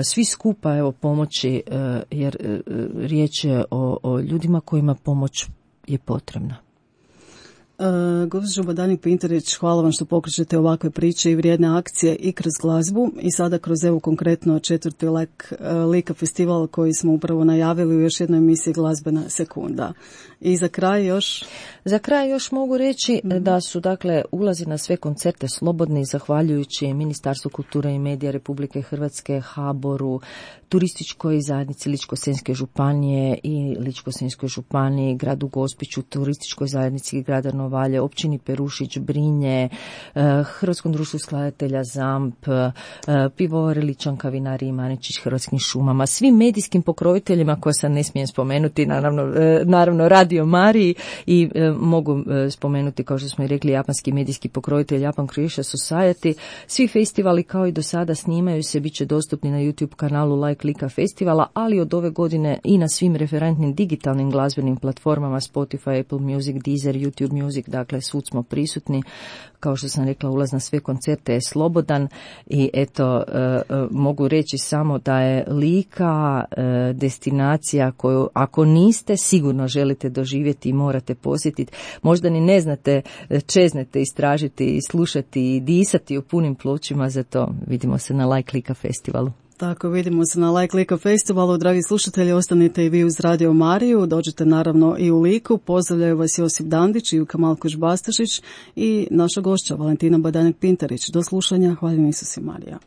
svi skupa evo pomoći, jer riječ je o ljudima kojima pomoć je potrebna. Gospođo Badanik Pintarić, hvala vam što pokrećete ovakve priče i vrijedne akcije i kroz glazbu i sada kroz evo konkretno 4. Lika festival koji smo upravo najavili u još jednoj emisiji Glazbena sekunda. I za kraj još? Za kraj još mogu reći da su dakle ulazi na sve koncerte slobodni zahvaljujući Ministarstvu kulture i medija Republike Hrvatske, HBOR-u, turističkoj zajednici Ličko-senjske županije i Ličko-senjskoj županiji, gradu Gospiću, turističkoj zajednici grada Nove Novalje, općini Perušić, Brinje, Hrvatskom društvu skladatelja ZAMP, Pivovar Ličanka, Vinariji Maničić, Hrvatskim šumama, svim medijskim pokroviteljima koje sad ne smijem spomenuti, naravno Radio Mariji i mogu spomenuti, kao što smo i rekli, japanski medijski pokrovitelj Japan Croatia Society. Svi festivali kao i do sada snimaju se, bit će dostupni na YouTube kanalu Like Lika festivala, ali od ove godine i na svim referentnim digitalnim glazbenim platformama Spotify, Apple Music, Deezer, YouTube Music, dakle svud smo prisutni. Kao što sam rekla, ulaz na sve koncerte je slobodan i eto, mogu reći samo da je Lika destinacija koju ako niste sigurno želite doživjeti i morate posjetiti. Možda ni ne znate, čeznete istražiti i slušati i disati u punim plućima, zato vidimo se na Like Lika festivalu. Tako, vidimo se na Like Lika festivalu. Dragi slušatelji, ostanite i vi uz Radio Mariju, dođete naravno i u Liku. Pozdravljaju vas Josip Dandić i Uka Malkoš-Bastašić i naša gošća Valentina Badanjak-Pintarić. Do slušanja, hvala Isus i Marija.